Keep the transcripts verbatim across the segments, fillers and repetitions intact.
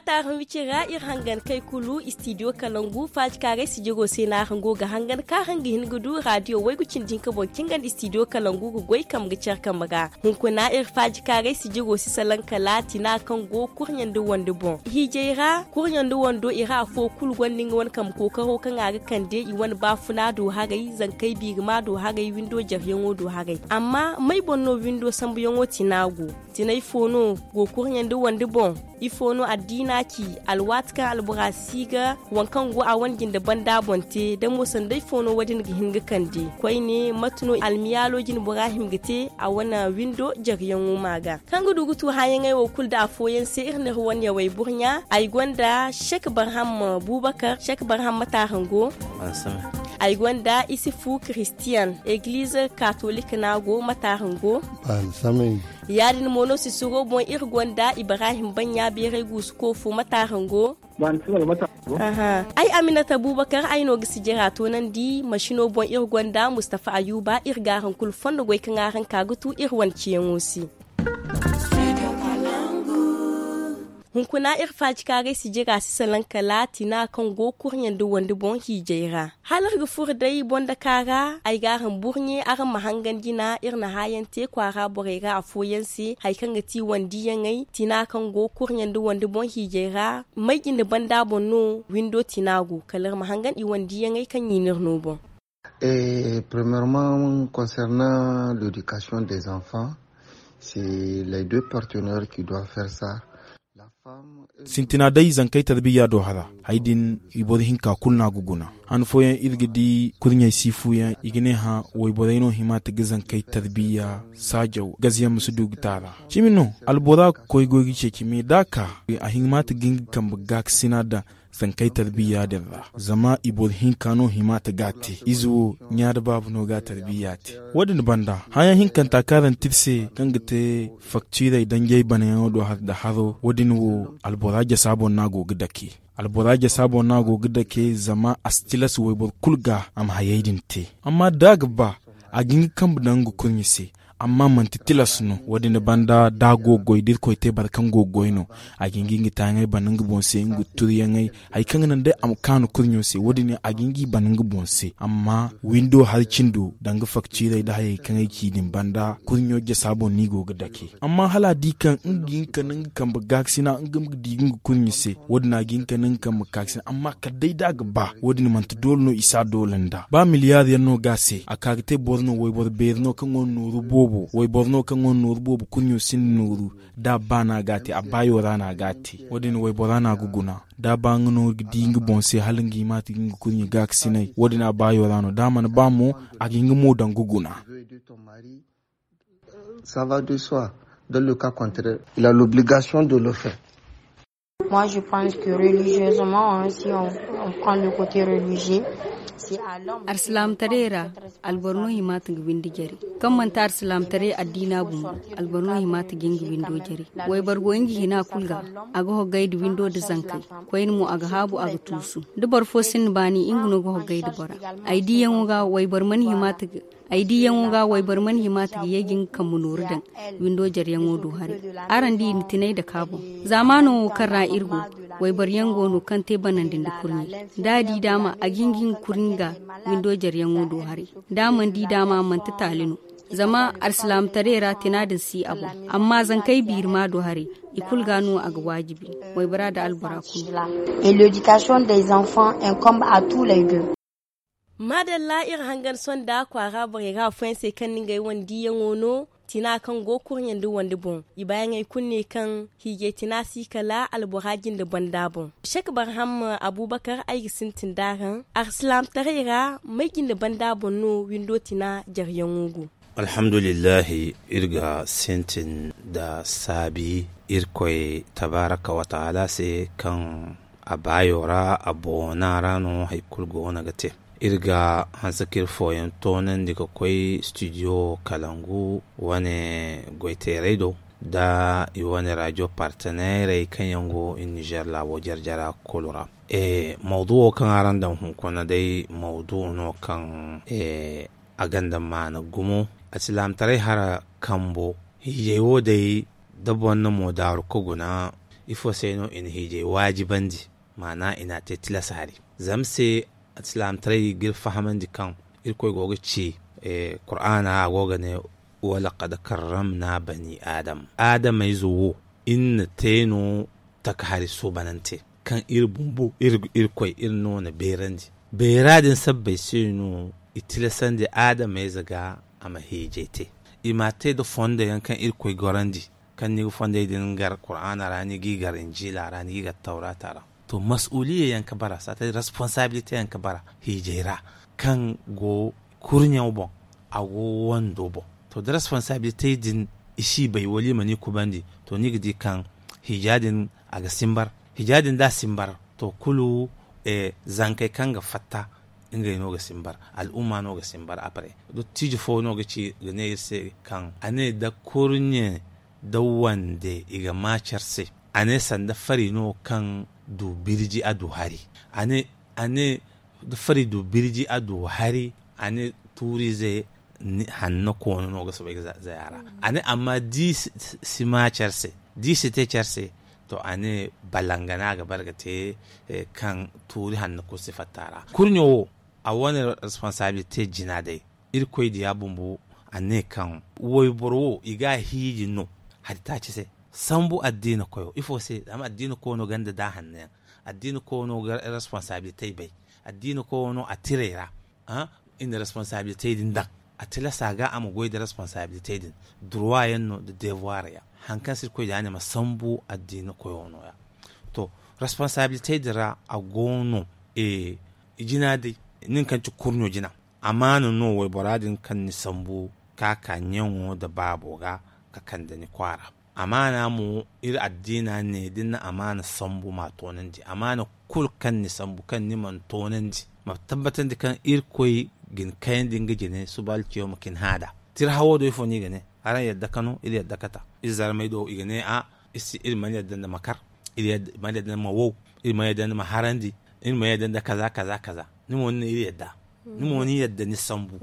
Taarum wicira iri hangan kay kulu istidiyo kalangu faajikaaray sijiro se no araŋ go ga hangan kaŋ araŋ ga hin ga du raadiyo waygu cindi hinka boŋ kaŋ ga nda istidiyo kalangu ga goy kambe ga care kambe ga. Hunkuna iri faajikaaray sijiro si salaŋ kala tina kaŋ go kurɲe nda wande boŋ hiijay ra kurɲe nda wando i ra afo kulu gonda nga wane kambe kookaro kaŋ a ga kande i wane baafuna do haray zankey biirima do haray windo jareyaŋo do haray. Amma may boŋ no windo sambuyaŋo tina go? Tinay fo no go kurɲe nda wande boŋ? Ifo no addiina ci? Alwaati kaŋ albora si ga waŋ kaŋ go a wane jinde banda boŋ te da mo sanday fo no wo- din ga hin ga kande koyne mate no almiyaalo jine bora hima ga te a wane windo jareyaŋo ma ga kaŋ ga du ga tu hããyaŋey wo kulu nda afooyaŋ se iri n'iri wane yawey burɲa ay gonda sek barham buubakar sek barham mate araŋ go? Ay gonda isifu kiristiyan eglize katolik no a go mate araŋ go? Ya- din mo no sisiro boŋ iri gonda ibrahim baŋ ɲa beeray guusu koofo mate araŋ go? Ay aminata buubakar ay no ga sijira toonandi masino boŋ iri gonda mustafa ayuba iri ga araŋ kulu fondo goy kaŋ araŋ ka ga tu iri wane ciyaŋo se. Hunkuna iri faajikaaray sijira si salaŋ kala tina kaŋ go kurɲe nda wande boŋ hiijay ra. Hala iri ga furo day boŋ daka ra ay ga araŋ burɲe araŋ ma hangan jina iri na hããyaŋ te kwaara borey ra afooyaŋ se hari kaŋ ga ti wandiyaŋey tina kaŋ go kurɲe nda wande boŋ hiijay ra may jinde banda boŋ no windo tina go kala iri ma hangan i wandiyaŋey kaŋ i n'iri no boŋ. Premièrement concernant l'éducation des enfants, c'est les deux partenaires qui doivent faire ça. Sintina day zankey tarbiya do hara hari din i boro hinka kulu no a ga guna. Han fooyaŋ iri ga di kurɲey si fuuyaŋ i ga ne hã wayborey no hima ta ga zankey tarbiya saajaw gazayaŋ ma si du ga taara. Cimi no albora ga koy goy ga ceeci me da a ka a hima ta ga nga kambe gaakasina daŋ zankey tarbiya din ra zama i boro hinka no hima ta ga a te ize wo ɲa da baaba no ga a tarbiya te. Wo- din banda hããyaŋ hinkanta kaŋ araŋ te iri se kaŋ ga te faktiirey danjey banayaŋo do hari nda haro wo- din wo albora jasa boŋ no a go ga dake. Albora jasa boŋ no a go ga dake zama a si tilas wayboro kulu ga a ma hayey din te. Amma da a ga ba a ga hin ga kambe daŋ nga kurɲe se. Amma manti tilas no wo- din banda da a go ga goy da irkoy te boro kaŋ go ga goy no a ga hin ga nga taayaŋey bana nga boŋ se nga turiyaŋey hari kaŋ ga naŋ day a ma kaanu kurɲo se wo- din a ga hin ga i bana nga boŋ se amma windo hari cindo danga faktiirey nda hayey kaŋ ay ci din banda kurɲo jasa boŋ no i go ga dake. Amma hala a di kaŋ nga ga hin ka naŋ nga kambe gaakasina nga ma ga di ga nga kurɲe se wo- din a ga hin ka naŋ nga kambe gaakasina amma kala day da a ga ba wo- din manti doole no i si a doole nda ba miliyaar yaŋ no ga a se a ka ga te boro no wayboro beeri no kaŋ gonda nooru boobo wayboro no kaŋ gonda nooru boobo kurɲo sinda nooru da a ba no a ga a te a baayo ra no a ga a te. Wo- din waybora no a ga guna da a ba nga no ga di nga boŋ se hala nga hima ta ga nga kurɲe gaakasinay wo- din a baayo ra no da a mana ba mo a ga hin ga mo daŋ ga guna. Ça va de soi. Dans le cas contraire il a l'obligation de le faire. Moi je pense que religieusement si on prend le côté religieux c'est à l'homme. Arsilaamtaray ra alboro no hima ta ga windi jare kaŋ manti arsilaamtaray addiina bumbo. Alboro no hima ta ga nga windo jare wayboro go nga hina kulu ga a ga hoggay nda windo nda zankey koyne mo a ga haabu a ga tuusu da boro fo sinda baani nga no ga hoggay nda bora. Ay diiyaŋo ga wayboro mana hima ta ga ay diiyaŋo ga wayboro mana hima ta ga ye ga nga kambe nooru daŋ windo jareyaŋo do haray. Araŋ di i na tinay dake a boŋ zaamaano wo kaŋ ra iri go wayboro yaŋ go no kaŋ te banandi nda kurɲe da a di daama a ga hin ga nga kurɲe ga windo jareyaŋo do haray. Da a mana di daama manti taali no zama alsilaamataray ra tina din si a boŋ amma zankey biiri ma do haray i kulu ga no a ga waajibi. Waybora nda albora kulu. Et l'éducation des enfants incombe à tous les deux. Maadalla iri hangan sonda kwaara borey ra afooyaŋ se kaŋ na ngey wane diiyaŋo no tina kaŋ go kurɲe nda wande boŋ. I baayaŋey kulu ne kaŋ hiijay tina si kala albora jinde banda boŋ. Sek barham abuubakar ay ga sintin da araŋ arsilaamataray ra may jinde banda boŋ no windo tina jareyaŋo go? Alhamdulillahi iri ga sintin nda saabi irkoy tabaaraka wa taala se kaŋ a baayo ra a boona ra no hari kulu goono ga te. Iri ga hanse ka iri fooyaŋ toonandi ga koy studio kalangu wane goyteerey do nda i wane radio parteneerey kaŋ yaŋ go i nizer laabo jare-jara kulu ra. Mawduwo kaŋ araŋ daŋ hunkuna day mawduwo no kaŋ a gonda maana gumo. Alsilaamataray hara kambo hiijay wo day da boro na mo daaru ka guna Ifo se no i na hiijay waajibandi? Maana i n'a te tilas hari. Zama se alsilaamataray ga iri fahamandi kaŋ Irkoy go ga ci, kur'aana a go ga ne, wala kad karramna bani adam. Adamayze wo iri na te no taka hari suubanante kaŋ iri bumbo iri koy iri no na beerandi. Beera din sabbay se no i tilasandi adamayze ga a ma hiijay te. I m'a te nda fondo yaŋ kaŋ iri koy gorandi, kaŋ ni ga fondey din gar kur'aana ra ni g'i gar injiila ra ni g'i gar tawraata ra. To masuuliya yaŋ ka bara saate responsaabilite yaŋ ka bara hiijay ra, kaŋ go kurɲo boŋ, a go wando boŋ. To da responsaabilite din i si bay wala i mana i kubandi, to ni ga di kaŋ hiija din a ga simbar. Hiija din da a simbar, to kulu zankey kaŋ ga fatta, ngey no ga simbar. Al'umma no ga simbar a bare. Dottijo fo no ga ci ga ne iri se kaŋ a ne da kurɲe da wande i ga ma care se. A ne sanda fari no kaŋ du birji a du hari. A ne da fari du birji a du hari. A ne tuurize hanno koono no ga soobay ga zaya ra. A ne amma da i si ma care se, da i si te care se, to a ne balangana ga bare ga te kaŋ tuuri hanno kulu si fatta a ra. Kurɲo wo a wane responsaabilite jina day. Irkoy diya bumbo a ne kaŋ wayboro wo i ga a hiiji no hari taaci se. Sambu addiina koyo ifo se? Zama addiina koyo no ganda da hanno yaŋ. Addiina koyo no ga responsaabilite bay. Addiina koyo no a tiray ra. I na responsaabilite din daŋ a tilasa ga a ma goy da responsaabilite din. Durwa yaŋ no da devoir yaŋ. Hari kaŋ se Irkoy diya ne ma sambu addiina koyo no ya. To responsaabilite din ra a go no. Ijina day nin kaŋ ci kurɲo jina. Amaana no waybora din kaŋ ni sambu ka ka ɲaŋo nda baabo ga ka kande ni kwaara. Amaana mo iri addiina ne da ni na amaana sambu ma a toonandi. Amaana kulu kaŋ ni sambu kaŋ ni mana toonandi, ma tabbatandi kaŋ Irkoy ga ni kayandi nga jine suba alciyo ma ka ni hã nd'a. Tira hawo do ifo no i ga ne? Araŋ yadda ka no iri yadda ka ta. Iri zarmey do i ga ne a iri mana yadda nda ma kar. Iri mana yadda nda ma wow. Iri mana yadda nda ma harandi. Iri mana yadda nda kaza kaza kaza. Ni mo ni ne iri yadda. Ni mo ni yadda ni sambu.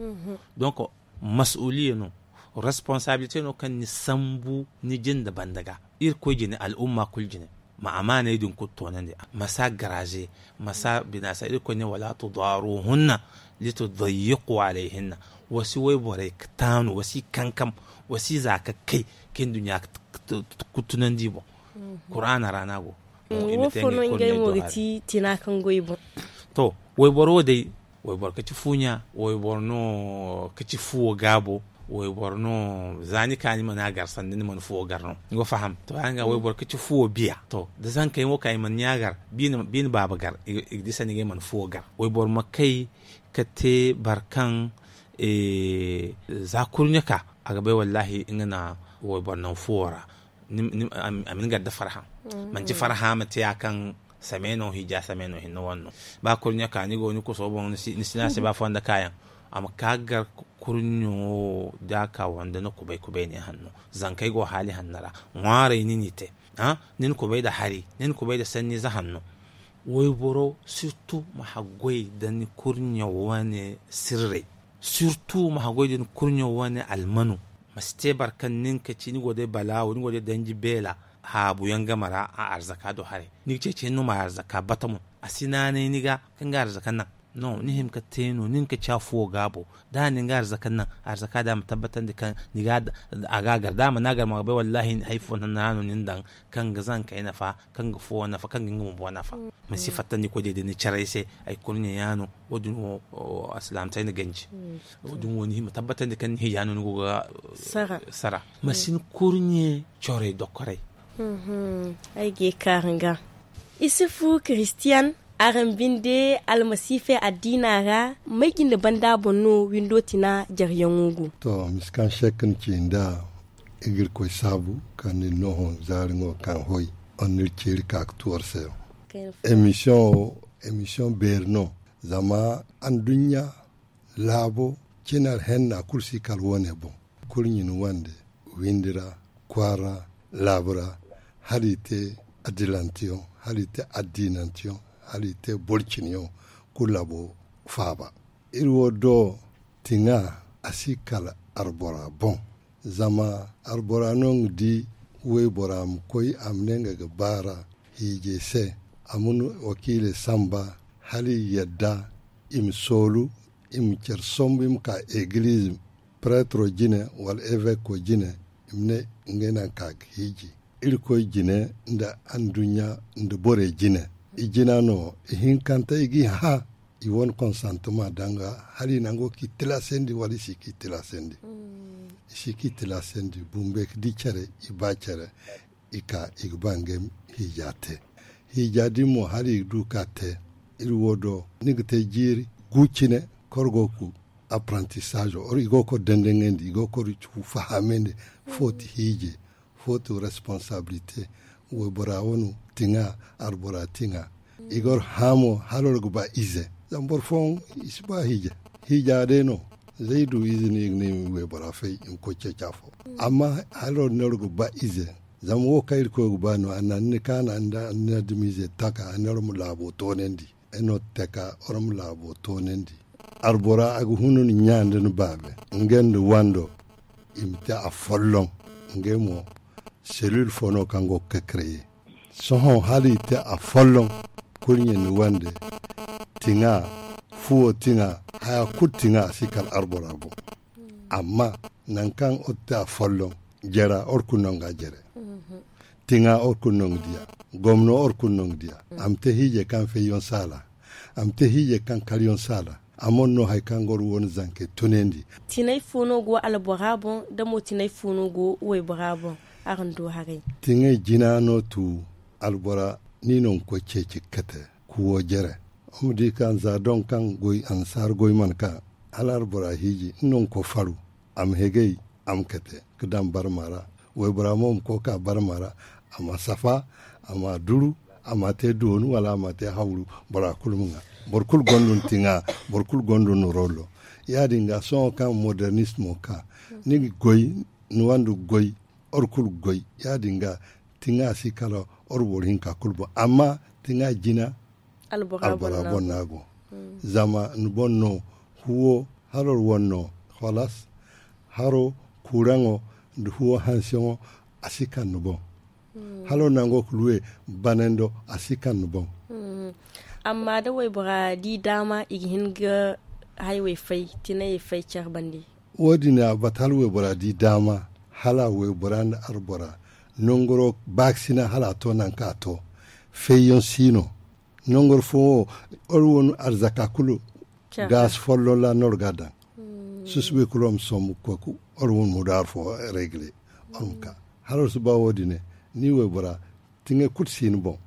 Donk masuuliya no. Responsaabilite no kaŋ ni sambu ni jinde banda ga. Irkoy jine al'umma kulu jine. Ma amaaney din kulu toonandi. Ma si a garaaze. Ma si a binaasa. Irkoy ne wala tudaruhunna litudayyiqu alayhinna. Wa si wayborey taanu wa si kankam. Wa si za ka kay ka nduɲɲa kuttunandi i boŋ. Kuraana ra no a go. Wo fo no ngey mo ga ti tina kaŋ go i boŋ? To wayboro wo day. Wayboro ka ci fuuɲa. Wayboro no ka ci fuwo gaabo. Wayboro no za ni ka ni mana gar sanda ni mana fuwo gar no ni go faham. To ya nga wayboro ka ci fuwo biya to da zankey mo ka i mana ɲa gar. Biine baaba gar i ga di sanda ngey mana fuwo gar. Wayboro ma kay ka te boro kaŋ za kurɲe ka a ga bay wallahi nga na wayboro naŋ fuwo ra. A ma ni gar nda farhã. Manti farhã ma te ya kaŋ same no hija same no hinne wane no. Ba kurɲe ka ni go ni kuso boŋ ni si no a se ba fonda kaayaŋ. A ma ka gar kurɲo da a ka wande ni kubay kubay ne hanno. Zankey go haali hanno ra ŋwaarey ni n'i te. Ni na kubay nda hari ni na kubay nda sanniize hanno. Wayboro sirtu ma haggoy nda ni kurɲe wane sirrey. Sirtu ma haggoy nda ni kurɲe wane almanu. Ma si te boro kaŋ nin ka ci ni go day balaawo ni go day danji beela. Haabu yaŋ game ra a arzaka do haray ni ga ceeci hinne no ma arzaka bata mo. A si naanay ni ga kaŋ ga arzaka naŋ. No ni hima ka te no nin ka ci a fuwo gaabo. Da a na ni ga arzaka naŋ arzaka da a ma tabbatandi kaŋ ni ga a ga a gar da a mana a gar ma a ga bay wallahi hari fo naŋ ra no ni na daŋ kaŋ ga zankey nafa kaŋ ga fuwo nafa kaŋ ga nga bumbo nafa. Ma si fattandi koy day da ni caray se. Hari kulu ɲaɲa no. Wo- din wo alsilaamataray na ganji. Wo- din wo ni hima tabbatandi kaŋ ni hija no ni go ga sara. Ma si ni kurɲe corey dokoray. Ay ga ye kaara nga isufu kiristiyan. Araŋ binde almasiifey addiina ra may jinde banda boŋ no windo tina jareyaŋo go? To misi kaŋ sekka ni ci nda. Igirkoy saabu kaŋ ni noohon zaari ŋo kaŋ hoy on n'iri ceeri ka ga tu war se. Emisiyoŋ wo emisiyoŋ beeri no. Zama anduɲɲa laabo cinar henna kulu si kala wo- ne boŋ. Kurɲi ni wande windi ra kwaara laabu ra hala i te adilanteyaŋ hala i te addiinanteyaŋ hala i te boro cinayaŋ. Kulu laabo faaba iri wo do tiŋa a si kala arbora boŋ. Zama arbora no nga di Waybora ma koy a ma ne nga ga baara hiijay se. A ma wakiilay samba hala i yadda i ma soolu, i ma care sombu i ma ka egiliiz, preetro jine wala eveko jine, i ma ne ngey no a ga ka ga hiiji. Irkoy jine nda anduɲɲa nda borey jine. I jina no i hinkanta i ga i hã. I wane konsantama danga hala i nango k'i tilasandi wala i si k'i tilasandi. I si k'i tilasandi bumbey ga di care, i ba care. I ka i ga ba ngey ma hiija te. Hiija din mo hala i ga du ka te. Iri wo do ni ga te jiiri gu cine korgo ku apprentissage or i go kor dandaŋandi i go kor fahamandi. Fo ti hiije, fo ti responsabilité. Waybora wano tiŋa, arbora tiŋa. I gor hamo hala wor ga ba ize zama boro fooyaŋ i si ba hiija. Hiija day no. Zay du ize no i ga ne i ma waybora fay i ma koy ceeci afo. Amma hala wor no wor ga ba ize. Zama wo kaŋ irkoy ga ba no a na ni kaana nda ni na dumi ize taka a ne wor ma laabo toonandi. Ay no taka wor ma laabo toonandi. Arbora a ga hunu ni ɲa nda ni baabe nga nda wando. I ma te a folloŋ. Ngey mo selil fo no kaŋ go ga kakreye. Sohõ hala i te a folloŋ. Kurɲe ni wande tiŋa, fuwo tiŋa, haya kulu tiŋa a si kala arbora boŋ. Amma nangu kaŋ or te a folloŋ jera or kulu no nga jere. Tiŋa or kulu no nga diya. Gomno or kulu no nga diya. A ma te hiije kaŋ fayyaŋ saala. A ma te hiije kaŋ karyaŋ saala. A mana no hari kaŋ ga war wane zankey tunandi. Tinay fo no go albora boŋ da mo tinay fo no go waybora boŋ? Araŋ du haray. Tiŋay jina no tu albora ni no ga koy ceeci ga kate kuwo jere. Wa ma di kaŋ za doŋ kaŋ goy annasaara goy mana ka hala albora hiiji ni no ga koy faru. A ma hegay a ma kate ga daŋ barma ra. Waybora mo ma koy ka barma ra. A ma safa, a ma duru, a ma te doonu wala a ma te hawru. Bora kulu ma ŋwa. Boro kulu gonda ni tiŋa. Boro kulu gonda ni rollo. Ya-din ga sohõ kaŋ modernist mo ka ni ga goy, ni wanda ga goy, or kulu ga goy. Ya-din ga tiŋa si kala or boro hinka kulu boŋ amma tiŋa jina albora boŋ no a go. Zama ni boŋ no huwo haro wane no, holas haro kuuraŋo nda huwo hanseyaŋo. A si kaŋ ni boŋ haro nango ga luwe banando a si kaŋ ni boŋ. Amma da waybora di daama i ga hin ga haywey fay tinayey fay care bande. Wo- din a bata hala waybora di daama hala waybora nda arbora nangaro baakasina hala a to nangu kaŋ a to. Fayyaŋ si no. Nangaro fooyaŋ wo or wane arzaka kulu gaasi folloŋ ra no or ga a daŋ. Susubay kulu war ma sombu ga koy or wane mudaar fo regle. War ma ka hala war si ba wo- din ne ni waybora tiŋay kulu si ni boŋ.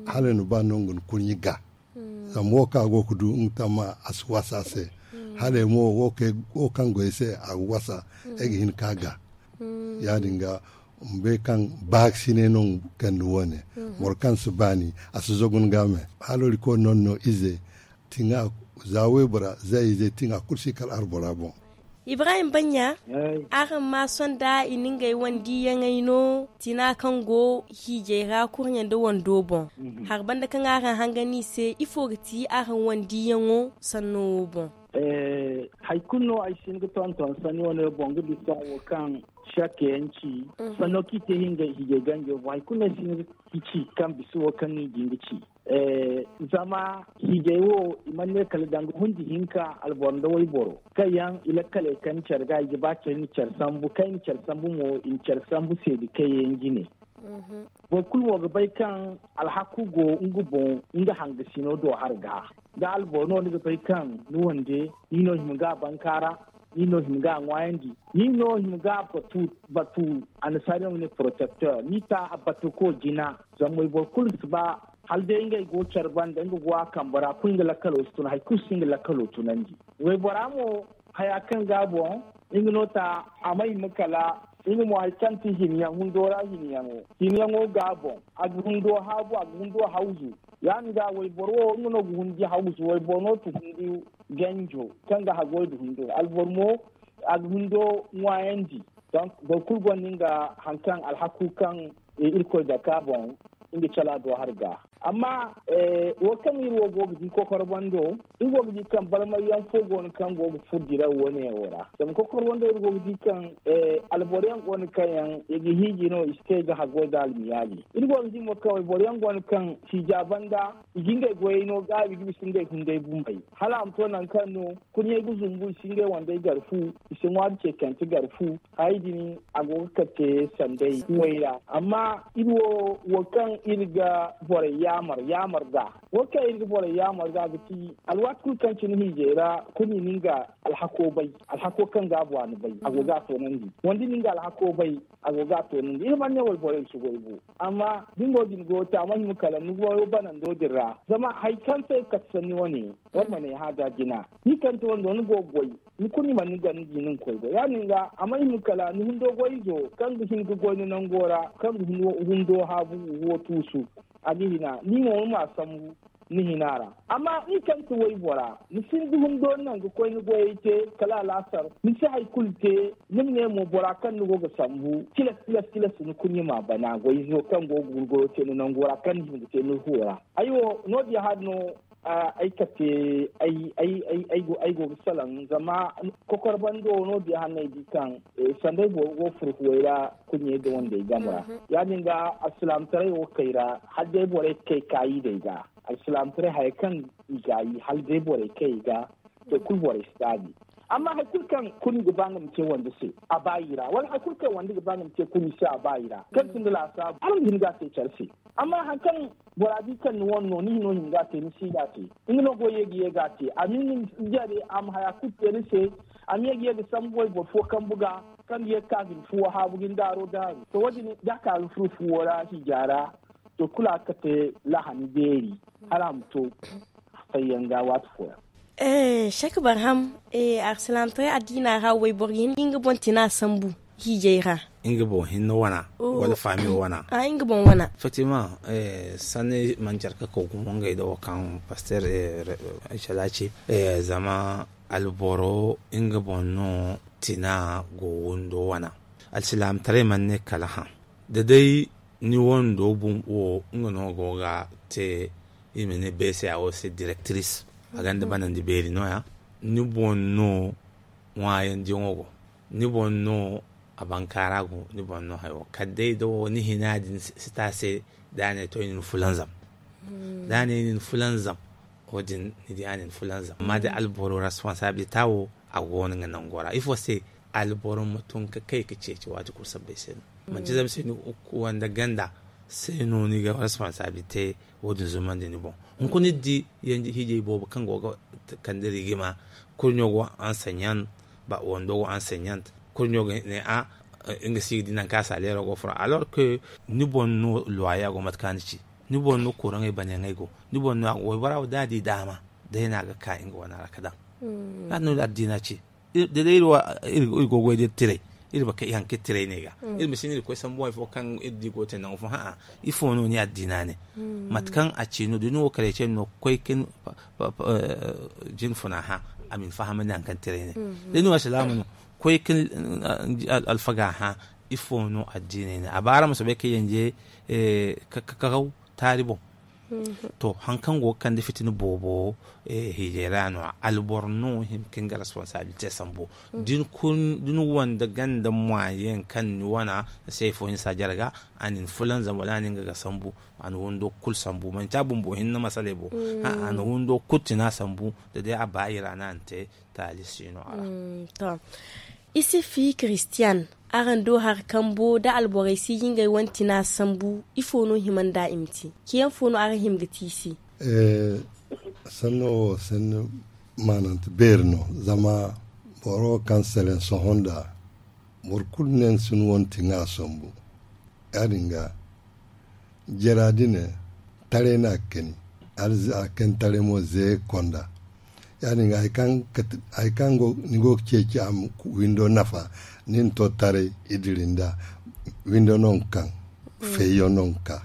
Hala ni ba nangu ni kurɲi ga. Zama wo kaŋ a go ga du nga tamma a si wasa a se. Hala mo wo kaŋ goy se a ga wasa. Ay ga hin ka ga ya-din ga ma bay kaŋ baakasinay no nga kande wo- ne. Boro kaŋ si baani a si zagu ni ga me. Hala irkoy no no ize tiŋa za waybora za ize tiŋa kulu si kala arbora boŋ. Ibrahim banya, araŋ ma sonda i na ngey wane diiyaŋey no tina kaŋ go hiijay ra kurɲe nda wando boŋ. Hari banda kaŋ araŋ hanga no i se ifo ga ti araŋ wane diiyaŋo sanno wo boŋ? Hari kulu no ay si hin ga tonton sanni wane boŋ ga bisa wo kaŋ shakka yaŋ ci. Sanno kaŋ i te hinga hiijay ganjo boŋ hari kulu no ay si hin ga ci kaŋ bisa wo kaŋ no i ga hin ga ci. Zama hiijay wo i mana ne kala danga hundi hinka alboro nda wayboro kaŋ yaŋ i lakkaley kaŋ care ga i ga ba care i na care sambu kaŋ i na care sambu mo i na care sambu seedi kaŋ yaŋ jine. Boro kulu mo ga bay kaŋ alhaku go nga boŋ nga hangasino do har ga da alboro no ni ga bay kaŋ ni wande ni no hima ga bankaara. Ni no hima ga ŋwaayandi ni no hima ga batu batu annasaariyaŋ ga ne protecteur ni ta batuko jina. Zama wayboro kulu si ba hala day ngey go care banda nga go a kambe ra kulu nga lakkalo si tun hari kulu si nga lakkalo tunandi. Waybora mo haya kaŋ ga boŋ nga no ta a ma hima kala nga mo hari kaŋ ti hinyaŋ hundo ra hinyaŋo hinyaŋo ga boŋ a ga hundo haabu a ga hundo hawzu. Ya- din ga wayboro wo nga no ga hundi hawzu wayboro no ti hundi ganjo kaŋ ga hagoy da hundo alboro mo a ga hundo ŋwaayandi. Boro kulu gonda nga hari kaŋ alhaku kaŋ irkoy dake a boŋ nga cala do har ga. Amma wo kaŋ iri wo go ga di kokoro bando, iri go ga di kaŋ barmay yaŋ fo go no kaŋ go ga furo diraw wane wo ra. Zama kokoro bando iri go ga di kaŋ alboro yaŋ go no kaŋ yaŋ i ga hiiji no i si te ga haggoy da almiyaali. Iri go ga di mo kaŋ wayboro yaŋ go no kaŋ siija banda i ga ngey goyey no gaabi ga bisa ngey hunday bumbey hala a ma to nangu kaŋ no kurɲey ga zumbu i si ngey wandey gar fu, i si ŋwaari ceekante gar fu. Hayey din a go ga kate sanday way ra. Amma iri wo wo kaŋ iri ga borey yaamar yaamar ga wo kaŋ iri ga borey yaamar ga ga ti alwaati kulu kaŋ cine hiijay ra kulu ni na nga alhako bay. Alhako kaŋ ga a bu a na bay a go ga a toonandi. Wala da ni na nga alhako bay a go ga a toonandi iri mana ne wala borey si goy bo. Amma da ni no din go ga te a mana hima kala ni goyo banando din ra zama hari kaŋ se ga kate sanni wane. Wala ma ne hã da jina ni kaŋ te wando ni go ga goy. Ni kulu ni mana ni gar ni di ni ga koy goy ya- din ga a mana hima kala ni hundo goy izo kaŋ ga hin ga goy ni nango ra kaŋ ga hundo haabu wo tuusu. A ga hina ni mo ni ma sambu ni hina ra. Amma ni kaŋ ti waybora ni sinda hundo ni naŋ ga koy ni goyey te kala alaasar ni si hari kulu te. Ni ma ne mo bora kaŋ ni go ga sambu tilas tilas tilas ni kulu ni ma bana goy izo kaŋ go ga gurguro te ni nango ra kaŋ ni hima ga te ni fuwo ra. Ay wo no- din hari no ay kate ay go ga salaŋ zama kokor bando no- din hari no ay di kaŋ sanday boro go furo fuwey ra. Kurɲey da wandey game ra ya- din ga alsilaamataray wo kay ra hala day borey ga kay kaayi day ga. Alsilaamataray haya kaŋ i gaayi hala day borey kay i ga. To kulu borey si gaabi. Amma hari kulu kaŋ kurɲi ga ba nga ma te wande se a ba i ra wala hari kulu kaŋ wande ga ba nga ma te kurɲi se a ba i ra kaŋ sinda laasaabu hala ma hin ga a te care se. Amma hari kaŋ bora di kaŋ ni wane no ni hino hin ga a te ni si ga a te. Nga no go ye ga ye ga a te a ma hin ga jare a ma haya kulu te ni se. A ma ye ga ye ga sambu wayboro fo kambu ga kaŋ ga ye ga ka ga ni fuwo haabu ga ni daaro daaru to wo- din da a ka ga furo fuwo ra hiija ra. To kulu a ga kate lahani beeri hala a ma to. Fayyaŋ ga waati fooyaŋ. Sek barham, alsilaamataray addiina ra wayboro ga hin ga nga boŋ tina sambu hiijay ra. Nga boŋ hinne wana wala faami wana? Nga boŋ wana. Effectivement, sanni mana care ga kaw gumo ngey da wo kaŋ pasteer ay cala ci. Zama alboro nga boŋ no tina go windo wana. Alsilaamataray mana ne kala hã da day ni wando bumbo wo nga no go ga te. I ma ne beese a wo se direktiris a gonda banandi beeri nooya. Ni boŋ no ŋwaayandi yaŋo go. Ni boŋ no a bankaara go ni boŋ no hayo kala day da wo ni hina din si ta se. Da a ne to i na ni fulanzam da a ne i na ni fulanzam. Wo- din ni di a na ni fulanzam amma da alboro responsaabilita wo a go no nga nango ra ifo se? Alboro ma tun ga kay ga ceeci waati kulu sabbay se no. Manti zama se ni wande ganda se no ni ga responsaabilite. Wo- din zumandi ni boŋ. Hunkuna iri di hiijay boobo kaŋ go ga kande rigima kurɲo go anseɲan. Wando go anseɲan kurɲo ga ne a nga si ga di nangu kaŋ a saaleero go furo alors que ni boŋ no luwaya go mate kaŋ a na ci. Ni boŋ no kuraŋey banayaŋey go. Ni boŋ no a go waybora wo da a di daama day no a ga ka nga wana ra ga daŋ. Ya- din no addiina ci. Da day iri go ga goy da iri tiray iri ma kay haŋ kaŋ iri tiray ne ga. Iri ma si ne iri koy sambu hari fo kaŋ iri di go ga te nangu fo hã'a. Ifo no ni addiina ne? Mate kaŋ a ci no da ni wo kareetiyaŋ no ga koy ga ni jin funa hã. A ma ni fahamandi haŋ kaŋ tiray ne da ni wo alsilaama no ga koy ga ni alfaga hã. Ifo no addiiney ne a ba araŋ ma soobay ga yanje kakaw taari boŋ. To haŋ kaŋ go ga kande fitina boobo hiijay ra no- ya alboro no hin ga nga responsaabilite sambu. Da ni wande ganda moyen kaŋ ni wana ni se hari fo hinsa jare ga a na ni fulanzam wala a na nga ga sambu. A na windo kulu sambu manti a bumbo hinne masaley bo. A na windo kulu tina sambu da day a ba i ra no a na te. Taali si no a ra. Isi fi kiristiyan araŋ do hari kambo da alborey si ga ngey wane tina sambu? Ifo no hima nda i ma te? Ceyaŋ fo no araŋ hima ga te i se? Sanno wo sanni maanante beeri no. Zama boro kaŋ seleŋ sohõ nda boro kulu ne ni si ni wane tina sambu. Ya- din ga jara din ne taray no a ga kani. Hala a ga kani taray mo ze ga konda. Ya- din ga hari kaŋ ni go ga ceeci a ma windo nafa ni na to taray i diri nda windo no ga kaŋ. Fayyaŋ no ga ka.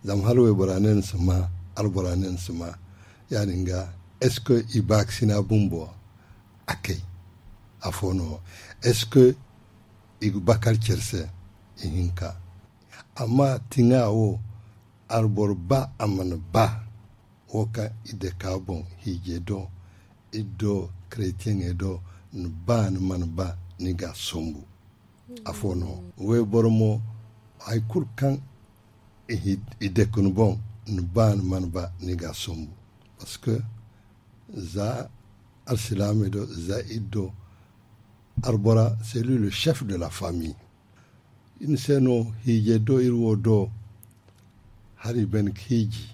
Zama hala waybora ne ni si ma albora ne ni si ma. Ya- din ga est ce que i baakasina bumbo a kay? Afo no est ce que i ga bakar care se? Ihinka. Amma tiŋa wo Arboro ba a mana ba wo kaŋ i deka boŋ hiije do, iri do, keretiyene do, ni ba ni mana ba, ni ga a sombu. Afo no wayboro mo, hari kulu kaŋ i deka ni boŋ, ni ba ni mana ba, ni ga a sombu. Parce que za alsilaamey do, za iri do, arbora c'est lui le chef de la famille. Ni se no hiije do iri wo do, hari bene ka hiiji,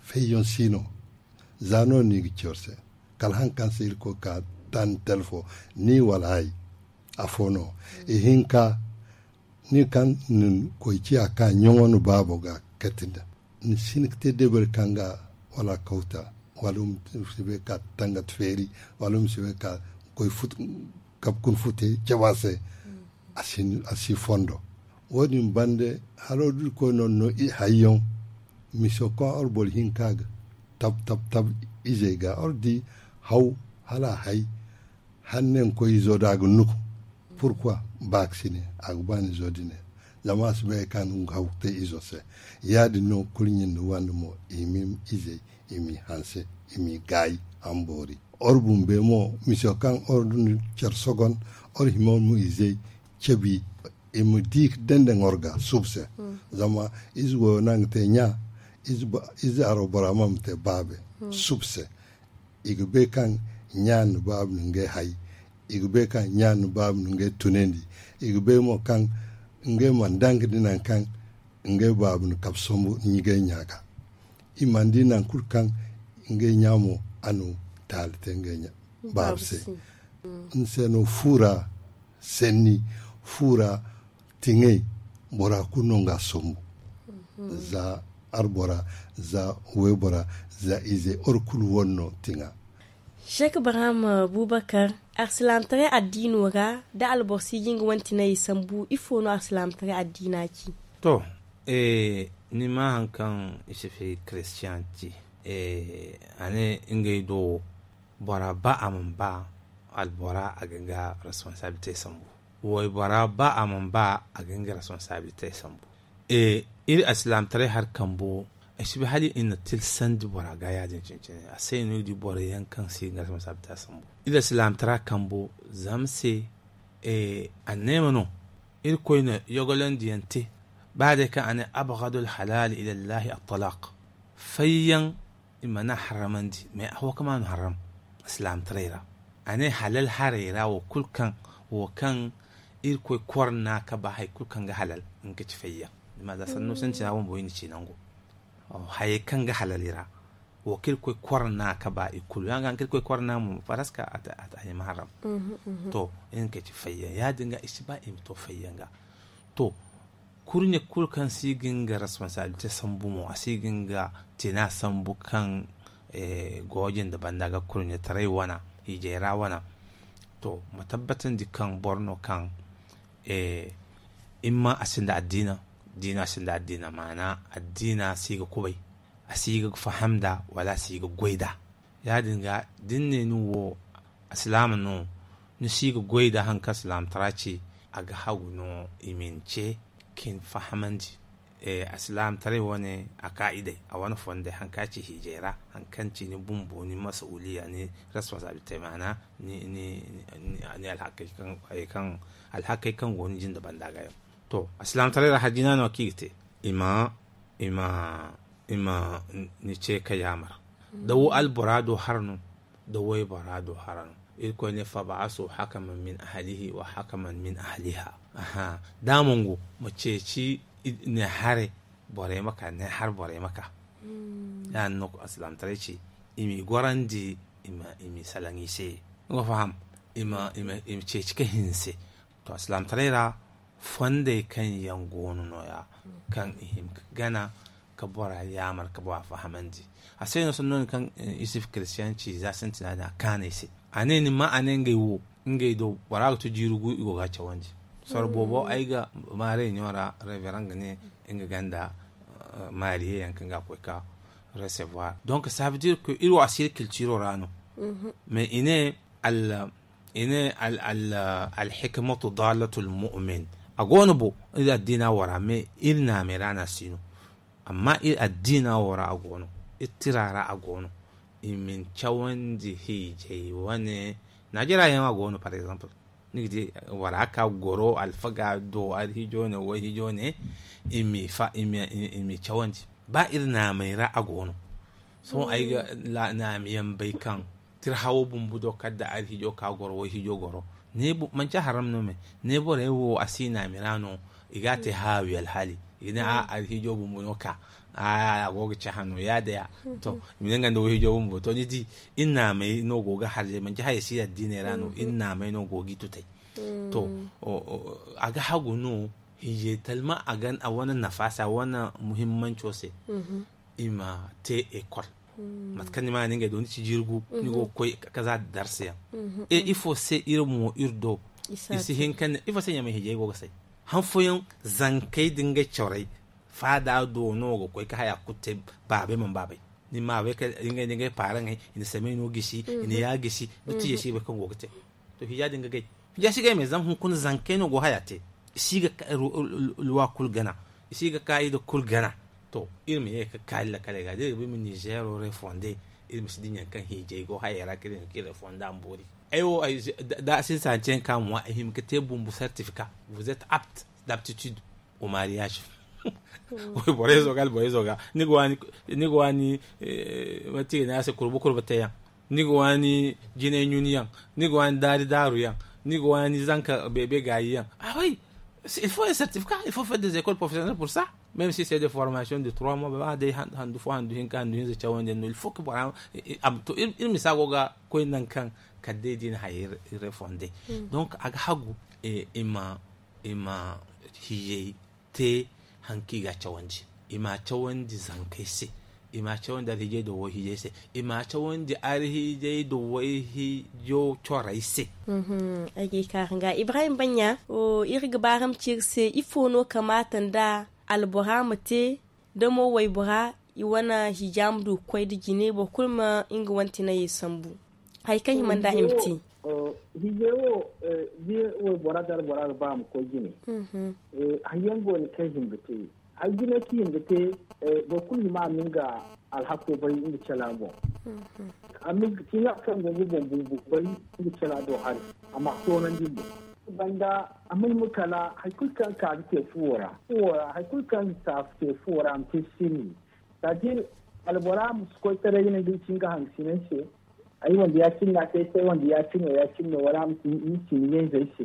fayyaŋ si no. Za no no i ga ci war se, kala haŋ kaŋ se iri koy ka taan telefo, ni wala ay. Afo no ihinka, ni kaŋ ni koy ciya ka ɲaŋo ni baabo ga kati nda, ni si hin ka te debari kaŋ ga wala kawta, wala ma si bay ka tangat feeri, wala ma si bay ka koy kabe kun fute caba se. A si fondo. Wo- din bande, haro da iri koy no no hayyaŋ, miso kaŋ arboro hinka ga tab tab tab izey ga, ardi haw hala hay. Hanne nga koy izo da a ga nuku, pourquoi? Ba ga si ne a ga ba ni izo din ne. Zama a si bay kaŋ nga haw ga te izo se. Ya- din no kurɲe nda wande mo, i ma i izey, i ma i hanse, i ma i gaayi, a ma boori. Or bumbe mo, miso kaŋ or du ni care sogon, or hima mo izey cabi, i ma di ka dende nga or ga subu se. Zama ize goyo no a ga te ɲa, ize aro bora mo a ma te baabe. Subu se, i ga bay kaŋ ɲa nda baabu na ngey hay. I ga bay kaŋ ɲa nda baabu na ngey tunandi. I ga bay mo kaŋ ngey mana daŋ ga di nangu kaŋ ngey baabu na kabe sombu ngey ɲa ga. I mana di nangu kulu kaŋ ngey ɲa mo a na taali te ngey baabu se. Ni se no fuura senni, fuura tiŋey, bora kulu no nga sombu. Za arbora, za waybora, za ize, or kulu wane no tiŋa. Sheek Ibrahim Bubakar, alsilaamtaray addiino ra, da alboro si ga nga wane tinayey sambu, ifo no alsilaamtaray addiina ci? To, ni ma hari kaŋ i si fi kiristiyan ci. A ne ngey do, bora ba a mana ba, albora a ga nga responsabilite sambu. Waybora ba a mana ba, a ga nga responsabilite sambu. Iri alsilaamtaray hari kambo, ay si bay hala i na tilsandi bora ga ya- din cine-cine. A se no ni ga di boro yaŋ kaŋ si ga nga responsabilite sambu. Iri alsilaamtara kambo, zama se anneema no. Irkoy na yogolandi yaŋ te. Ba day kaŋ a ne, abgadul halal ila allahi at-talaq. Fayyaŋ i mana harramandi, mais a wo kaŋ ma no harram alsilaamtaray ra. A ne halal haray ra, wo kulu kaŋ, wo kaŋ Irkoy korna ka ba hari kulu kaŋ ga halal, nga ka ci fayyaŋ. Zama za sanno sintina bumbo i na ci nango. Hayey kaŋ ga halal i ra, wo kaŋ Irkoy korna ka ba i kulu yaŋ ga haŋ kaŋ Irkoy korna mo, faraska a ta hima haram. To, nga ka ci fayyaŋ. Ya- din ga i si ba i ma to fayyaŋ ga. To, kurɲe kulu kaŋ si ga nga responsabilite sambu mo, a si ga nga tina sambu kaŋ gooje nda banda ga kurɲetaray wana, hiijay ra wana. To, ma tabbatandi kaŋ boro no kaŋ imma a sinda addiina, diina sinda addiina, maana addiina si ga kubay, a si ga faham nda, wala a si ga goy nda. Ya- din ga, da ni ne ni wo alsilaama no, ni si ga goy nda hari kaŋ alsilaamtara ci, a ga hagu no i ma ni ce ka ni fahamandi. Alsilaamtaray wane a kaa'idey, a wane fondey, hari kaŋ a ci hiijay ra, hari kaŋ ci ni bumbo, ni masuuliya, ni responsabilité, maana ni alhakey kaŋ go ni jinde banda ga yaŋ. To, alsilaamtaray ra hajjina no kaŋ i ga te, i ma, i ma, i ma ni ce ka yaamar. Da wo albora do hara no, da waybora do hara no. Irkoy ne, fab'asu hakaman min ahlihi wa hakaman min ahliha. Aha, da a mana go, ma ceeci ne haray borey ma ka, ne har borey ma ka. Ya- din no alsilaamtaray ci, i m'i gorandi, i m'i salaŋ i se. Ni ga faham? I ma ceeci ka hinse. To, alsilaamtaray ra fondey kaŋ yaŋ go no nooya, kaŋ i hin ga gana ka bora yaamar, ka bora fahamandi. A se no sanno din kaŋ isuf kiristiyanci za sintina din a kaanay se. A ne ni ma, a ne ngey wo, ngey do bora ga to jiiri gu, i go ga a cawandi. Soro boobo ay ga ma reunion ra, reverend ga ne nga ganda, maariye yaŋ kaŋ ga koy ka recevoir. Donc ça veut dire que iri wo a si iri kiltiro ra no. Mais i ne, al i ne, alhikmatu dalatul mu'min. A go no bo, iri addiina wo ra, mais iri naamey ra no a si no. Amma iri addiina wo ra a go no, iri tira ra a go no. I ma ni cawandi hiijay wane. Najeriya yaŋ a go no par exemple. Ni ga di wara ka goro alfaga do alhijo ne wayhijo ne. I ma i cawandi ba iri naamay ra a go no. Sohõ ay ga naami yaŋ bay kaŋ tirhawo bumbu do kala da alhijo ka goro wayhijo goro. Manci haram no me ne borey wo a si naami ra no. I ga a te haawi alhaali i ga ne a alhijo bumbu no ka a go ga caha no ya da ya. To i ma ne nga nda wayhijo bumbu to ni di iri naamay no go ga harjay manci haya si addiiney ra no iri naamay no go ga i tutay. To a ga hagu no. Hiijay talma a wane nafaasa wane muhimmanco se. I ma te ekol mate kaŋ ni ma ni ngey do ni ci jirgu ni go ga koy ka za da darsiyaŋ. E ifo se iri mo iri do i si hin kaŋ ne ifo se ɲamay hiijay go ga say han fooyaŋ zankey da ngey corey faada do no ga koy ka haya kulu te. Baabey mana baabey ni ma bay ka ngey da ngey paaraŋey i na samey no gisi i na ya gisi da tijey si bay kaŋ go ga te. To hiija din ga gay hiija si gay me zama hunkuna zankey no go haya te. I si ga luwa kulu gana i si ga kaayida kulu gana. To iri ma ye ka kaali lakaley ga da iri ga ba iri ma nizeero refonde iri ma si dinya kaŋ hiijay go hayey ra ka iri ma ka iri refonda ma boori. Ay wo da a sinsa hanceyaŋ ka ŋwa ay hima ka te bumbu certificat vous êtes apte d'aptitude au mariage. Borey zo ga alborey zo ga ni ga waani mate i ga ne a se kurba kurba teyaŋ. Ni ga waani jinay ɲuniyaŋ ni ga waani daari daaruyaŋ ni ga waani zanka beebe gaayiyaŋ. Ah oui, il faut un certificat, il faut faire des écoles professionnelles pour ça. Même si c'est des formations de trois mois ba day handu fo handu hinka handu hinza cawandiyaŋ no il faut que bora to iri misa go ga koy nangu kaŋ kala day da i na hayey refonde. Donc a ga hagu i ma i ma hiijay te haŋ kaŋ i ga a cawandi. I ma a cawandi zankey se. I ma a cawandi alhiijay da wayhiijay se. I ma a cawandi alhiijay da wayhiijo corey se. Ay ga i kaaru nga ibrahim banɲa. Iri ga baaram ci iri se ifo no kamaata nda albora ma te da mo waybora i wane hiija ma du ga koy nda jine boro kulu ma nga wane tinayey sambu. Hari kaŋ hima nda i ma te. Hiijay wo da waybora da albora ga ba a ma koy jine. Hari yaŋ go no kaŋ hima ga te. Hari jine kaŋ hima ga te boro kulu hima a ma nga alhako bay nga cala boŋ. A ma nga kaŋ go ga boŋ bumbo bay nga cala do hari a ma a toonandi boŋ. Banda a ma hima kala hari kulu kaŋ ka ga te fuwo ra fuwo ra hari kulu kaŋ ga te fuwo ra a ma te sirri. C'est-à-dire albora ma si koy taray ga ne da i ci nga hangasinay se. Ay wanda ya-cine no a te ay se ay wanda ya-cine no ya-cine no wala a ma ci ni ɲayzey se.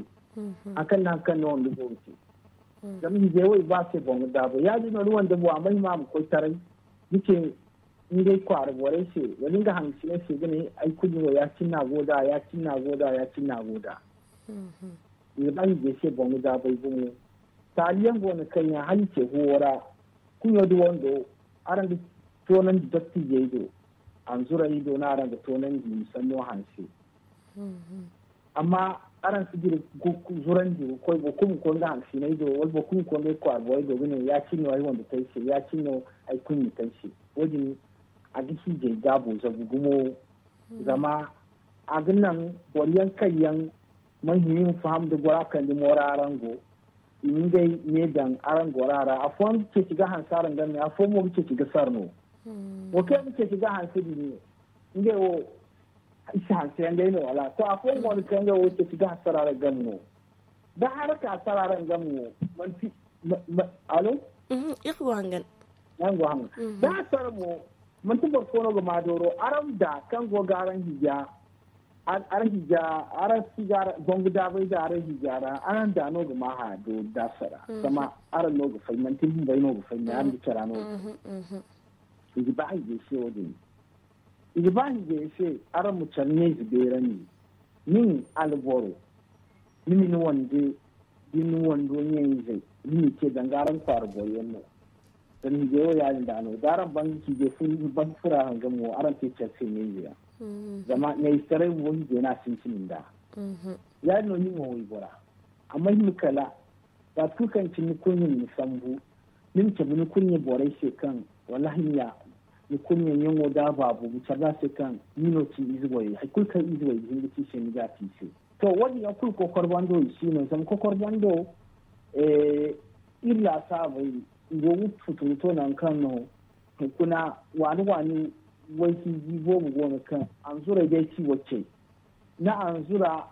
Hari kaŋ no hari kaŋ no wanda go ga te. Zama hiijay wo i ba se boŋ ga daabay ya-din no ni wanda bora a ma hima a ma koy taray ni ce ngey kwaara borey se wala nga hangasinay se ga ne ay kulu no ya-cine no a go nd'a ya-cine no a go nd'a ya-cine no a go nd'a. I ga ba hiijay se boŋ ga daabay gumo. Taaliyaŋ go no kaŋ yaŋ hala i ce huwo ra. Kuɲo da wando araŋ ga toonandi dottijey do. Anzurayey do no araŋ ga toonandi i ma sanno hanse. Amma araŋ si dira zurandi ga koy boro kulu ma koy nga hansiney do wala boro kulu ma koy ngey kwaara borey do ga ne ya-cine no ay wanda te ay se ya-cine no ay kuɲɲa te ay se. Wo-din a ga hiijay gaabo zabu gumo. Zama a ga naŋ boro yaŋ kaŋ yaŋ man hima i ma faham da gora kandi moora araŋ go. I ma ngey ne daŋ araŋ gora ra afooyaŋ ga ceeci ga hanse araŋ game afooyaŋ mo ga ceeci ga sara no. Wo kaŋ yaŋ ga ceeci ga hanse din ngey wo i si hanse yaŋ day no wala to afooyaŋ mo no kaŋ ngey wo ga ceeci ga hanse sara araŋ game no. Da hara ka sara araŋ game no manti alo. Iri go hangan. Araŋ go hangan da a sara mo manti boro fo no ga ma dooro araŋ da kaŋ go ga araŋ hija. Araŋ hija araŋ si ga boŋ ga daabay da araŋ hija ra araŋ da no ga ma haya do da sara zama araŋ no ga fay manti bumbay no ga fay me araŋ ga cara no ga fay. I ga ba hijay se wo-din. I ga ba hijay se araŋ ma care ɲayze beerandi. Nin alboro ni ma ni wande da ni wando ɲayzey ni ma i te danga araŋ kwaara boro yaŋ no. Zama hijay wo ya-din da no da araŋ ban ga hijay fun ban ga fura araŋ game wo araŋ te care se ɲayze yaŋ. Zama ɲayzetaray wo hijay no a sintin nd'a. Ya-din no ni mo waybora amma hima kala waati kulu kaŋ cine ni kurɲe ma ni sambu. Ni ma cabe ni kurɲe borey se kaŋ wallaahi ni ya ni kurɲe ɲaŋo da a baabu ma care da se kaŋ ni no ci ize borey hari kulu kaŋ ize borey ga hin ga ci se ni ga a ci se. To wo-din yaŋ kulu kokor bando i si no zama kokor bando iri laasaabey i go ga futu ga to nangu kaŋ no hunkuna waani waani wayhiiji boobo go no kaŋ anzuray day ci wacce. Ni anzura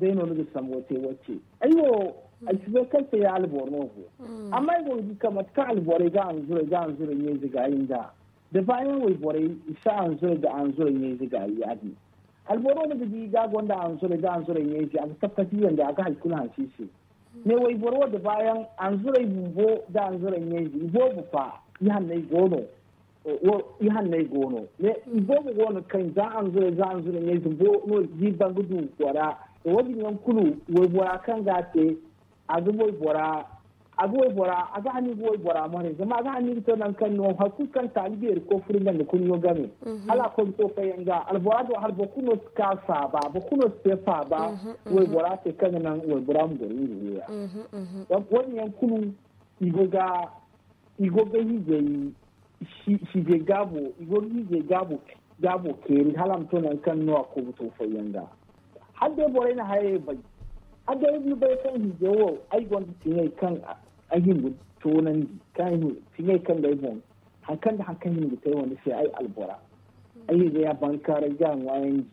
day no ni ga sambo te wacce. Ay wo ay si bay kaŋ se ya alboro no go. Amma ay go ga di kaŋ mate kaŋ alborey ga anzuray ga anzuray ɲayze gaayi nd'a da baayaŋ wayborey i si anzuray ga anzuray ɲayze gaayi yaadin. Alboro no ga di ga gonda anzuray ga anzuray ɲayze a ga tappati yanda a ga hari kulu hanse i se. Ne wayboro wo da baayaŋ anzuray bumbo da anzuray ɲayze i boobo fa i hanney go no. Wo i hanney go no ne i boobo go no kaŋ za anzuray za anzuray ɲayze bumbo no i ga i banga du bora. Wo-din yaŋ kulu waybora kaŋ ga a te a ga waybora a ga waybora a ga hani ga waybora maray zama a ga hani ga to nangu kaŋ no hari kulu kaŋ taali beeri koy furo i banda kurɲo game. Hala a koy ga to fayyaŋ ga albora do hala boro kulu no si ka faaba boro kulu no si te faaba. Waybora se kaŋ ga naŋ waybora ma goro nga wo ya. Wo-din yaŋ kulu i go ga i go ga hiijay hiijay gaabo i go ga hiijay gaabo gaabo keeri hala a ma to nangu kaŋ no a koy ga to fayyaŋ ga. Hala day borey na hayey bay hala day ni bay kaŋ hiijay wo ay gonda tiŋey kaŋ ay hin ga toonandi kaŋ ay hin tiŋey kaŋ ga ay boŋ hari kaŋ nda hari kaŋ hin ga te ay wane se ay albora. Ay ga ya bankaaray ga a ŋwaayandi.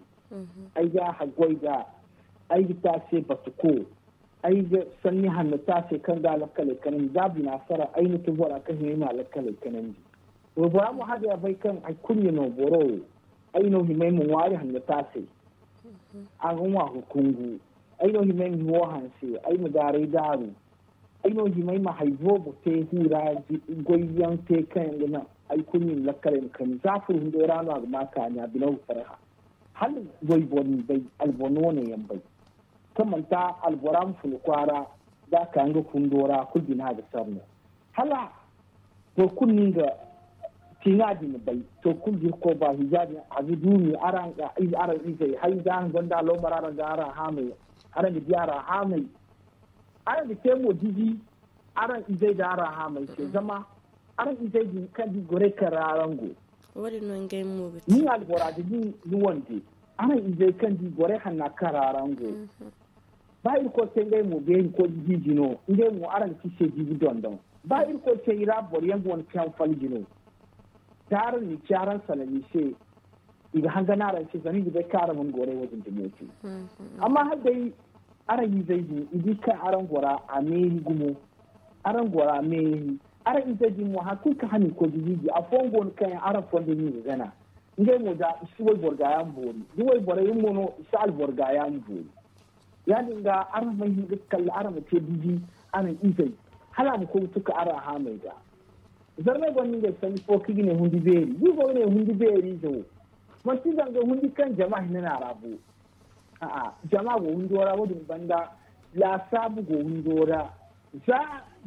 Ay ga a haggoy ga ay ga te a se batuko. Ay ga sanni hanno te a se kaŋ ga a lakkaley kanandi za bina sara ay na tun bora kaŋ hima ay ma a lakkaley kanandi. Waybora mo hala day a bay kaŋ hari kulu ɲa no boro wo ay no hima ay ma ŋwaari hanno te a se. A ga ŋwa ga kungu ay no hima ay ma hiwo hanse ay ma gaaray daaru. Ay no hima ay ma hari boobo te huu ra goyyaŋ te kaŋ yaŋ ga naŋ hari kulu ɲa ni lakkaley ma kani za furo hundo ra no a ga ma kaani a bino ga farha. Hala wayboro ni bay alboro no wane yaŋ bay kaŋ manti albora ma funa kwaara da a ka nga fundo ra kulu bina ga sar no. Hala boro kulu no nga tiŋa din bay to kulu da irkoy ba hija din a ga duumi araŋ izey hari da araŋ gonda loomar araŋ ga araŋ haamay araŋ ga di araŋ haamay. Araŋ ga te mo diji araŋ izey da araŋ haamay se zama araŋ izey din kaŋ di goray kaŋ ra araŋ go. Wo-din no ngey mo ga te ni albora da ni wande araŋ izey kaŋ di goray hanna kaŋ ra araŋ go. Ba irkoy te ngey mo beeri koy ga hiiji no ngey mo araŋ ga ci se jiibi dondon. Ba irkoy te i ra boro yaŋ ga wane kaŋ falji no da araŋ na i ci araŋ salami se. I ga hangan araŋ se zama i ga bay kaŋ araŋ mana goray wo-din dumo te. Amma hala day araŋ izey din i di kaŋ araŋ gora a meeri gumo. Araŋ gora meeri araŋ izey din mo hari kulu kaŋ hana i koy ga hiiji afooyaŋ go no kaŋ yaŋ araŋ fondo no i ga gana. Ngey mo da i si wayboro gaayaŋ boori da wayborey mo no i si alboro gaayaŋ boori. Ya-din ga araŋ ma hin ga kalla araŋ ma te diji araŋ izey hala a ma koy ga tuka araŋ haamey ga. Zarmey gonda ngey sanni fo kaŋ i ga ne hundi beeri da i go ga ne hundi beeri ize wo manti zanga hundi kaŋ jama hinne no a ra bo. A'a jama go hundo ra wo-din banda laasaabu go hundo ra. Za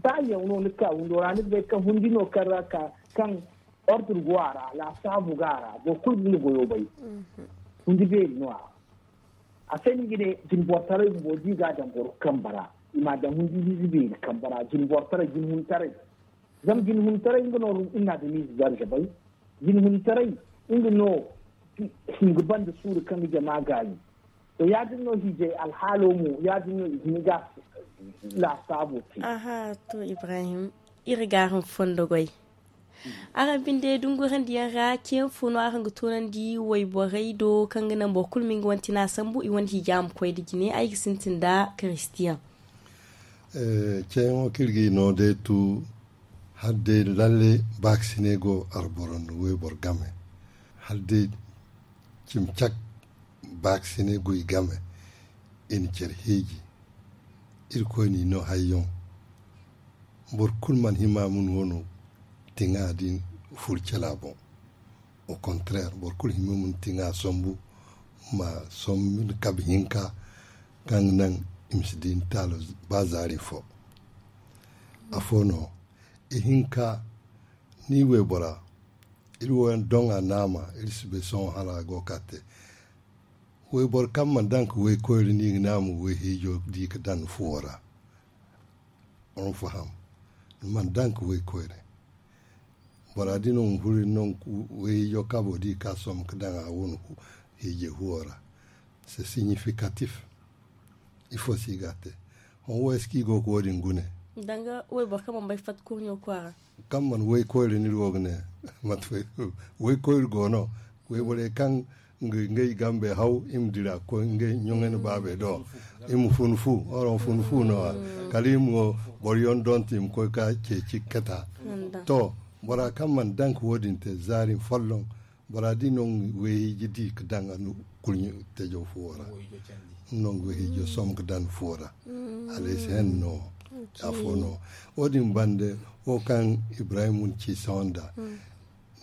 ba yaŋ no ni ga ka hundo ra ni ga bay kaŋ hundi no kaŋ ra ka kaŋ ordur go a ra laasaabu go a ra boro kulu ga nga goyo bay. Hundi beeri no a ra. A se no i ga ne jinbortaray bumbo da i ga a daŋ boro kamba ra i m'a daŋ hundi ize beeri kamba ra jinbortaray jinhuntaray. Zama jinhuntaray nga no iri na adamize darza bay. Jinhuntaray nga no hinga banda suuru kaŋ ga jama gaayi. To ya-din no hiijay alhaalo mo ya-din no i hin ga laasaabo te. Aha to ibrahim, iri ga araŋ fondo goy. Araŋ binde dungurandiyaŋ ra ceeyaŋ fo no araŋ ga toonandi wayborey do kaŋ ga naŋ boro kulu ma nga wane tina sambu i wane hiija ma koy nda jine ay ga sintin nda kiristiyaŋ. Ceeyaŋo kaŋ iri ga i no day tu hala day lalle baakasinay go alboro nda wayboro game. Hala day cimi cak baakasinay go i game. I na care hiiji. Irkoy n'i no hayyaŋ. Boro kulu mana hima ma ni wano tiŋa din furu cala boŋ. Au contraire boro kulu hima ma ni tiŋa sambu ma sambu ni kabe hinka kaŋ ga naŋ i ma si di ni taalo ba zaari fo. Afo no ihinka ni waybora iri wo yaŋ doŋ a naama iri si bay sohõ hala a go ga ka te. Wayboro kaŋ mana daŋ ka waykoyri no i ga ne a ma wayhiijo di ka daŋ ni fuwo ra. Araŋ faham? Ni mana daŋ ka waykoyri. Bora din no ma furo ni no wayhiijo kaabo di ka sombu ka daŋ a wane hiijay fuwo ra. C'est significatif. Ifo se i ga a te? Hõ wo ay si kaŋ i go ga wo-din gune. Danga wayboro kaŋ mana bay fatta kurɲo kwaara. Kaŋ mana waykoyri no iri go ga ne. Mate fay waykoyri go no. Wayborey kaŋ ngey gambey haw i ma dira koy ngey ɲoŋey na baabey do. I ma funu fu oro ma funu fu no a kala i ma boro yaŋ donto i ma koy ka ceeci kata. To, bora kaŋ mana daŋ ka wo-din te zaari folloŋ. Bora di no nga wayhiiji di ka daŋ a kurɲo tejo fuwo ra. Nga no nga wayhiijo som ka daŋ fuwo ra. Hala ay si hen no. Afo no. Wo-din bande wo kaŋ ibrahim ci sawanda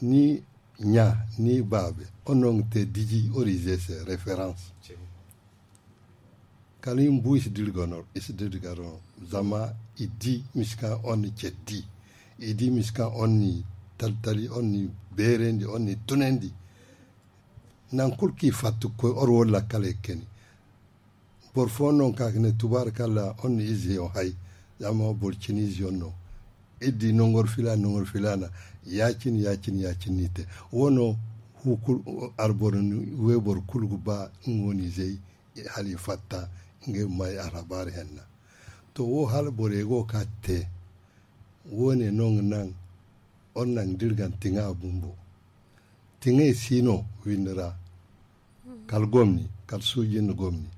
ni ɲa ni baabe wo no nga te diji orize se reference. Kala i ma bu i si diri ga no. Zama i di misi kaŋ on ni ceddi. I di misi kaŋ on ni taltali on ni beerandi on ni tunandi. Naŋ kulu kaŋ i fatta ga koy or wo lakkaley ga kani. Boro fooyaŋ no ga ka ga ne tubaari kalla on ni ize yaŋ hay. Zama boro cine ize yaŋ no iri di nangor filaana nangor filaana. Ya- cine ya- cine ya- cine no i te. Wo no. Arboro ni wayboro kulu ga ba nga wane izey hala i fatta ngey ma may alhabaari henna. To wo hala borey go ga ka ga te. Wo- ne no nga naŋ or naŋ da iri ga na tiŋa bumbo. Tiŋey si no windi ra. Kala gomni kala suuji nda gomni.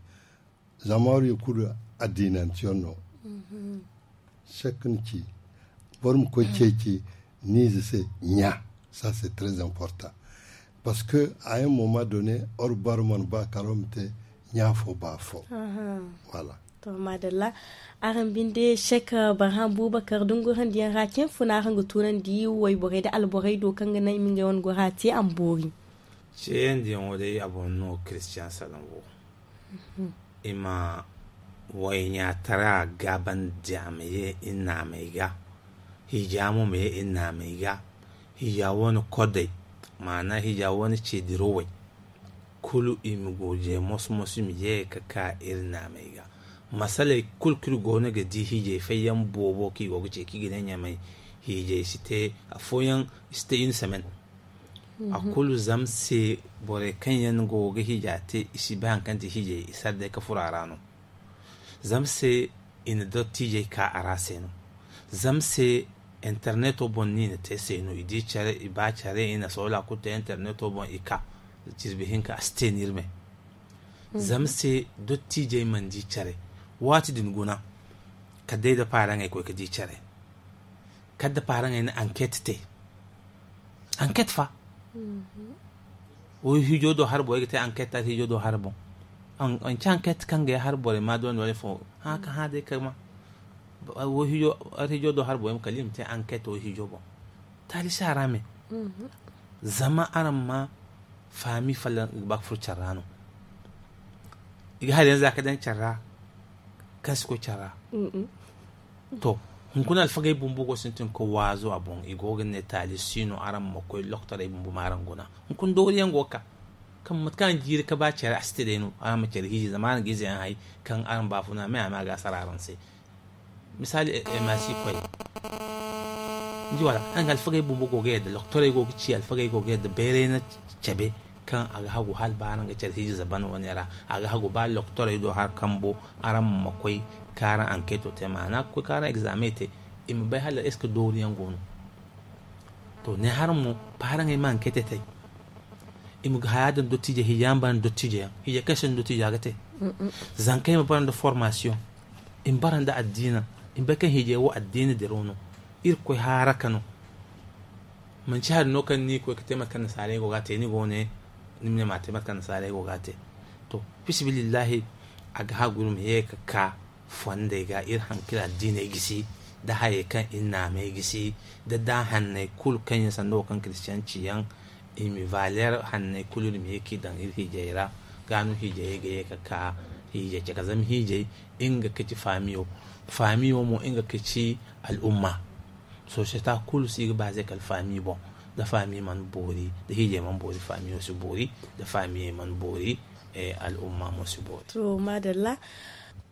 Zama war i kulu addiinanteyaŋ no. Sekka ni ci boro ma koy ceeci ni ize se ɲa. Ça c'est très important. Parce que à un moment donné or baro mana ba kala war ma te ɲa fo ba fo. Voilà. To maadalla. Araŋ binde sek barham bubakar dungurandiyaŋ ra cin funa araŋ ga tunandi wayborey nda alborey do kaŋ ga naŋ i ma ngey wane gora te a ma boori. Ceeyandiyaŋo day a boŋ no kiristiyaŋ salaŋ wo. I ma wayɲaatara gaabandi a ma ye iri naamey ga. Hiija mo ma ye iri naamey ga. Hiija wane kodey maana hiija wane ceediro way. Kulu i ma goojey moso-moso i ma ye ga ka iri naamey ga. Masaley kulu kaŋ iri go no ga di hiijey fayyaŋ boobo kaŋ i go ga ce kaŋ i ga ne ɲamay. Hiijey si te afooyaŋ i si te iri na samen. A kulu zama se borey kaŋ yaŋ go ga hiija te i si bay hari kaŋ ti hiijey i sara day ga furo a ra no. Zama se i na dottiijey ka a ra se no. Zama se interneto boŋ no i na te se no i di care i ba care i na soola kulu te interneto boŋ i ka. Jirbi hinka a si te no iri me. Zama se dottiijey mana di care. Waati din guna kala day da paaraŋey koy ga di care. Kala da paaraŋey na anket te. Anket fa. Wo hiijo do hari boŋ ay ga te anket hari hiijo do hari boŋ. Manci anket kaŋ ga ay hari borey ma doonda wane fo. Hã ka hã day kay ma wo hiijo hari hiijo do hari boŋ ay ma kala i ma te anket wo hiijo boŋ. Taali si a ra me. Zama araŋ ma faami folloŋ ga ba ga furo care ra no. I ga hari yaŋ za ga daŋ care ra. Kaŋ si koy care ra. To, hunkuna alfagey bumbo go sintin ga koy waazo a boŋ i go ga ne taali si no araŋ ma koy loktorey bumbo ma araŋ guna. Hunkuna dooriyaŋ go ga ka kaŋ mate kaŋ araŋ jiiri ga ba care a si te day no araŋ ma care hiiji zama araŋ ga ize yaŋ hay. Kaŋ araŋ baafuna me a ma ga a sara araŋ se. Misaali, ma si koy ni di wala araŋ ga alfagey bumbo go ga yadda loktorey go ga ci alfagey go ga yadda bayray na cabe. Kaŋ a ga hagu hala ba araŋ ga care hiiji zaban wane ra a ga hagu ba loktorey do hari kambo. Araŋ ma koy kaŋ araŋ anketo te maana ga koy kaŋ araŋ egzame te. I ma bay hala est ce que dooriyaŋ go no. To ne haraŋ mo paaraŋey ma ankete te. I ma ga haya daŋ dottiijey hiijey yaŋ bara nda dottiijey yaŋ hiijey kaŋ se no dottiijey a ga te. Zankey ma bara nda formasiyoŋ. I ma bara nda addiina. I ma bay kaŋ hiijey wo addiina diraw no. Irkoy haaraka no. Manci hari no kaŋ ni ga koy ga te mate kaŋ nasaarey go ga a te ni go ne. Ni ma ne ma a te mate kaŋ nasaarey go ga a te. To, fisibilillahi. A ga hagu iri ma ye ga ka fondey ga iri haŋ kaŋ iri addiiney gisi, nda hayey kaŋ iri naamey gisi, nda daahanney kulu kaŋ yaŋ sanda wo kaŋ kiristiyaŋ ci yaŋ. I ma valeer hanney kulu iri ma ye kaŋ i daŋ iri hiijey ra. Ga no hiijey ga ye ga ka hiijey caka zama hiijey nga ga ci faamiyo. Faamiyo mo nga ga ci al'umma. Sosiyeta kulu si ga baaze kala faami boŋ. Da faami mana boori da hiijey mana boori faamiyo si boori. Da faamiyey mana boori al'umma mo si boori. To maadalla.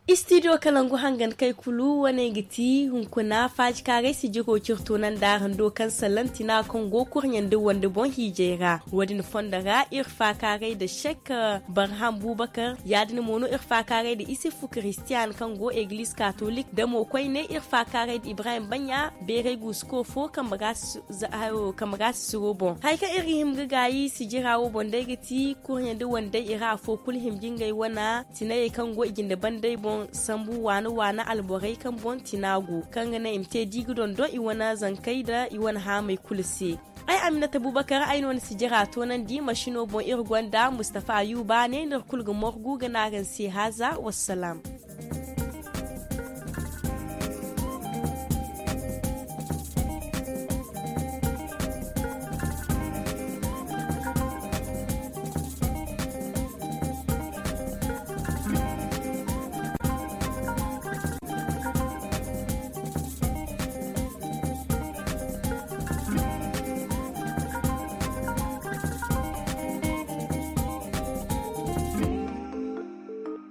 Istidiyo kalangu hangan kay kulu wane ga ti hunkuna faajikaaray sijiro ciri toonandi araŋ do kaŋ salantina kaŋ go kurɲandi wande boŋ hiijay ra. Wo- din fondo ra iri faakaaray nda sek barham bubakar, ya- din mo no iri faakaaray nda isifu kiristiyan kaŋ go egiliz katolik nda mo koyne iri faakaaray nda ibrahim baɲɲa beeray guusuko fo kambe ra sisiro boŋ. Hari kaŋ iri ga hima ga gaayi sijira wo boŋ day ga ti kurɲandi wandey i ra afo kulu hima ga ngey wane tinayey kaŋ go i jinde bandey boŋ sambu waana waana alborey kaŋ boŋ tina go kaŋ ga naŋ i ma te da i ga dondon i wane zankey nda i wane haamey kulu se. Ay aminata bubakar ay no ni sijira toonandi masino boŋ iri gonda mustafa ayuba ne no iri kulu ga morgu ga ne araŋ se haaza wassalaam.